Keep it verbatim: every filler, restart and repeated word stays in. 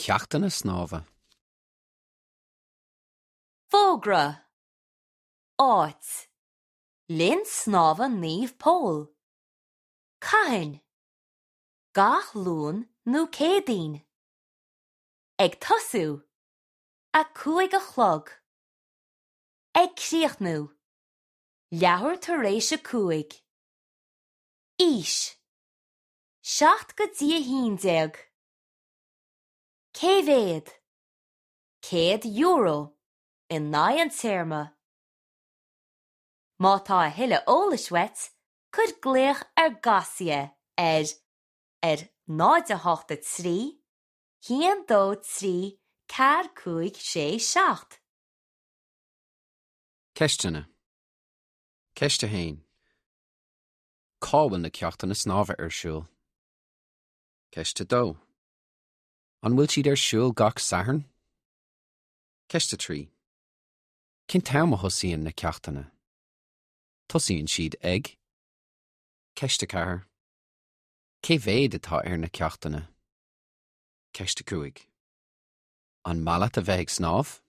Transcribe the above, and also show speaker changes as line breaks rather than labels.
ceachtanna snámha?
Fógra. Áit. Linn Snámha Naomh Pól. Cathain. Gach Luan nó Céadaoin. Ag tosú. A cúig a chlog. Ag críochnú. Leathuair tar éis a cúig. Aois. Seacht go dtí a haon déag. Cé mhéad? Céad euro in aghaidh an téarma. Má tá a thuilleadh eolais uait, cuir glaoch ar Gasia ar ar náid a hocht a trí, haon dó trí ceathair cúig sé seacht.
Ceisteanna. Ceist a haon. Cá bhfuil na ceachtanna snámha ar siúl? Ceist a dó. An bhfuil siad ar siúl gach Satharn? Ceist a trí. Cén t-am a thosaíonn na ceachtanna? Tosaíonn siad ag. Ceist a ceathair. Cé mhéad atá ar na ceachtanna? Ceist a cúig. An maith leat a bheith ag snámh?